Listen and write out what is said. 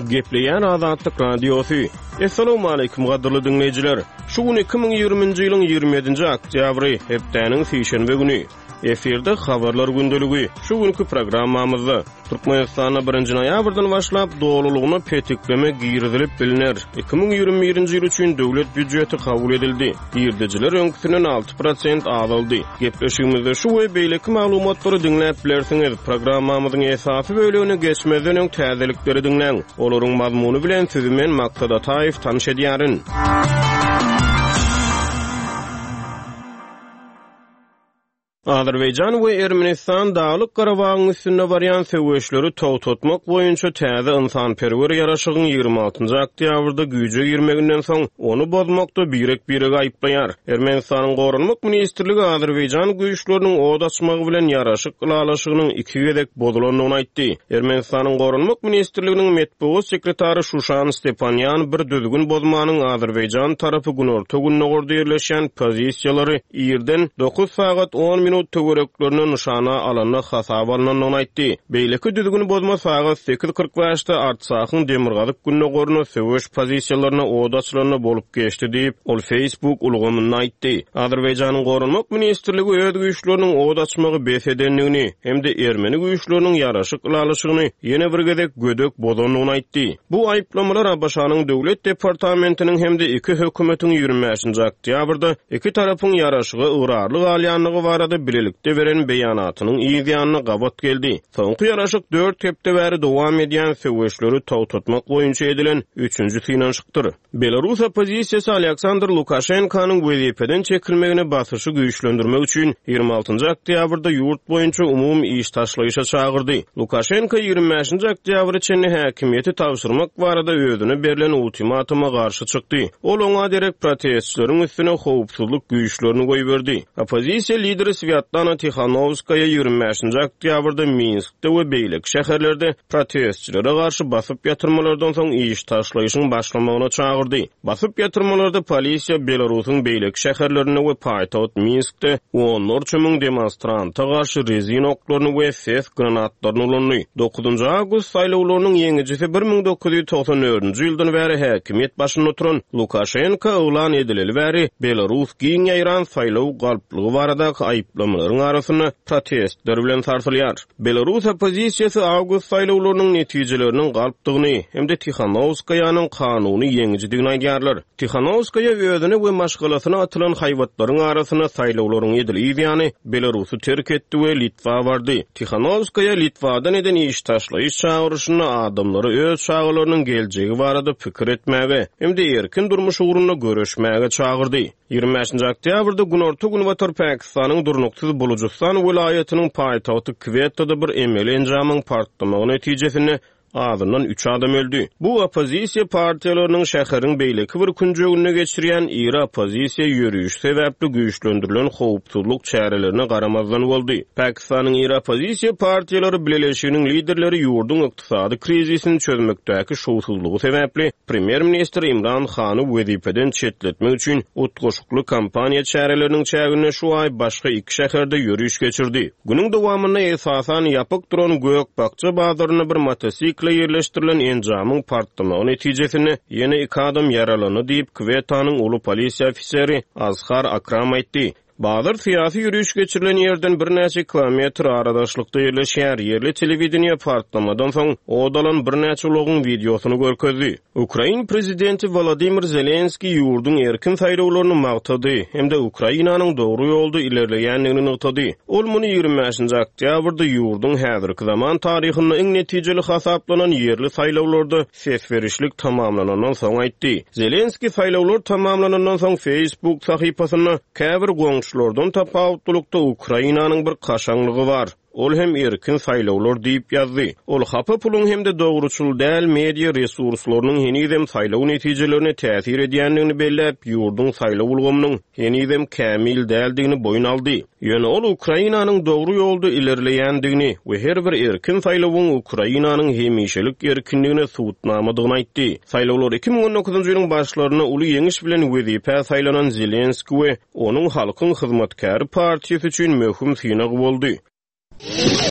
Gepleýär Azatlyk Radiosy. Essalawmaleýkim gadyrly diňleýjiler! Şu gün 2020-nji ýylyň 27-nji oktýabry, hepdäniň sişenbe güni. Efirde Habarlar gündeligi. Şu günki programmamyzda Türkmenistanda birinji noýabrdan başlap dolulygyna petikleme girizilip bilner. 2021-nji ýyl üçin döwlet býujeti kabul edildi. Girdejiler öňküsinden 6% azaldy. Gepleşigimizde şu we beýleki maglumatlary diňläp bilersiňiz. Programmamyzyň esasy bölegine geçmezden öň täzelikleri diňläň. Olaryň mazmuny bilen sizi men Maksat Ataýew tanyş edýärin. Azerbaýjan we Ermenistan Daglyk-Garabagyň üstünde barýan söweşleri togtatmak boýunça täze ynsanperwer ýaraşygyň 26 oktýabrda güýje girmeginden soň, ony bozmakda birek-biregi aýyplaýar. Ermenistanyň Goranmak ministrligi azerbaýjan güýçleriniň ot açmagy bilen ýaraşyk ylalaşygynyň iki gezek bozulandygyny aýtdy. Ermenistanyň Goranmak ministrliginiň metbugat sekretary Şuşan Stepanýan bir düzgün bozmanyň azerbaýjan tarapy günorta-gündogarda ýerleşýän pozisiýalary irden 9 sagat 10 minut töwereklerinde nyşana alanda hasaba alnandygyny aýtdy. Beýleki düzgün bozma sagat 8:45-de Artsahyň demirgazyk-gündogarynda söweş pozisiýalaryna ot açylanda bolup geçdi diýip, ol Facebook ulgamynda aýtdy. Azerbaýjanyň Goranmak ministrligi öz güýçleriniň ot açmagy bes edendigini hem-de ermeni güýçleriniň ýaraşyk ylalaşygyny ýene bir gezek gödek bozandygyny aýtdy. Bu aýyplamalar ABŞ-nyň Döwlet departamentiniň hem-de iki hökümetiň 25-nji oktýabrda iki tarapyň ýaraşyga ygrarly galýandygy barada bilelikde beren beýanatynyň yz ýanyna gabat geldi. Soňky ýaraşyk dört hepde bäri dowam edýän söweşleri togtatmak boýunça edilen üçünji synanyşykdyr. Belarus oppozisiýasy Alýaksandr Lukaşenkanyň wezipeden çekilmegine basyşy güýçlendirmek üçin 26-njy oktýabrda ýurt boýunça umumy iş taşlaýyşa çagyrdy. Lukaşenko 25-nji oktýabra çenli häkimiýeti tabşyrmak barada özüne berlen ultimatuma garşy çykdy. Ol oňa derek protestçileriň üstüne howpsuzlyk güýçlerini goýberdi. Oppozisiýa lideri Swýatlana Tihanowskaýa 25-nji oktýabrda Minskde we beýleki şäherlerde protestçilere garşy basyp ýatyrmalardan soň iş taşlaýyşyň başlamagyna çagyrdy. Basyp ýatyrmalarda polisiýa Belarusyň beýleki şäherlerinde we paýtagt Minskde onlarça müň demonstranta garşy rezin oklaryny we ses granatlaryny ulandy. Dokuzynjy awgust saýlawlarynyň ýeňijisi 1994-nji ýyldan bäri häkimiýet başynda oturan Lukaşenko yglan edileli bäri Belarus giň ýaýran saýlaw galplygy baradaky aýyplamalaryň arasynda protestler bilen sarsylýar. Belarus oppozisiýasy awgust saýlawlarynyň netijeleriniň galpdygyny hem-de Tihanowskaýanyň kanuny ýeňijidigini aýdýarlar. Tihanowskaýa özüne we maşgalasyna atylan haýbatlaryň arasynda saýlawlaryň edil yz ýany Belarusy terk etdi we Litwa bardy. Tihanowskaýa Litwadan eden iş taşlaýyş çagyryşynda adamlary öz çagalarynyň geljegi barada pikir etmäge hem-de erkin durmuş ugrunda göreşmäge çagyrdy. 25-nji oktýabrda günorta-günbatar Pakistanyň durnuksyz Bulujystan welaýatynyň paýtagty Kwettada bir emeli enjamyň partlamagy netijesinde azyndan üç adam öldi. Bu oppozisiýa partiýalarynyň şäheriň beýleki bir künjeginde geçirýän iri oppozisiýa ýörişi sebäpli güýçlendirilen howpsuzlyk çärelerine garamazdan boldy. Pakistanyň iri oppozisiýa partiýalary bileleşiginiň liderleri ýurduň ykdysady krizisini çözmekdäki şowsuzlygy sebäpli premýer-ministr Imran Hany wezipeden çetletmek üçin utgaşykly kampaniýa çäreleriniň çäginde şu aý başga iki şäherde ýöriş geçirdi. Günüň dowamynda esasan ýapyk duran gök-bakja bazarynda bir motosikle ýerleşdirilen enjamyň partlamagy netijesinde ýene iki adam ýaralandy diýip, Kwetanyň uly polisiýa ofiseri Azhar Akram aýtdy. Bazar syýasy ýöriş geçirilen ýerden birnäçe kilometr aradaşlykda ýerleşýär. Ýerli telewideniýe partlamadan soň ot alan birnäçe ulagyň wideosyny görkezdi. Ukrain prezidenti Wolodymyr Zelenskiý ýurduň erkin saýlawlaryny magtady hem-de Ukrainanyň dogry ýolda ilerleýändigini nygtady. Ol muny 25-nji oktýabrda ýurduň häzirki zaman taryhynda iň netijeli hasaplanan ýerli saýlawlarda ses berişlik tamamlanandan soň aýtdy. Zelenskiý saýlawlar tamamlanandan soň Facebook sahypasynda Käbir goňşulardan tapawutlylykda Ukrainanyň bir kaşaňlygy bar. Ol hem erkin saýlawlar diýip ýazdy. Ol hapa puluň hem-de dogruçyl däl media resurslarynyň henizem saýlaw netijelerine täsir edýändigini belläp, ýurduň saýlaw ulgamynyň henizem kämil däldigini boýun aldy. Ýöne ol Ukrainanyň dogry ýolda ilerleýändigini we her bir erkin saýlawyň Ukrainanyň hemişelik erkinligine subutnamadygyny aýtdy. Saýlawlar 2019-njy ýylyň başlarynda uly ýeňiş bilen wezipä saýlanan Zelenski we Onuň Halkyň hyzmatkäri partiýasy üçin möhüm synag boldy.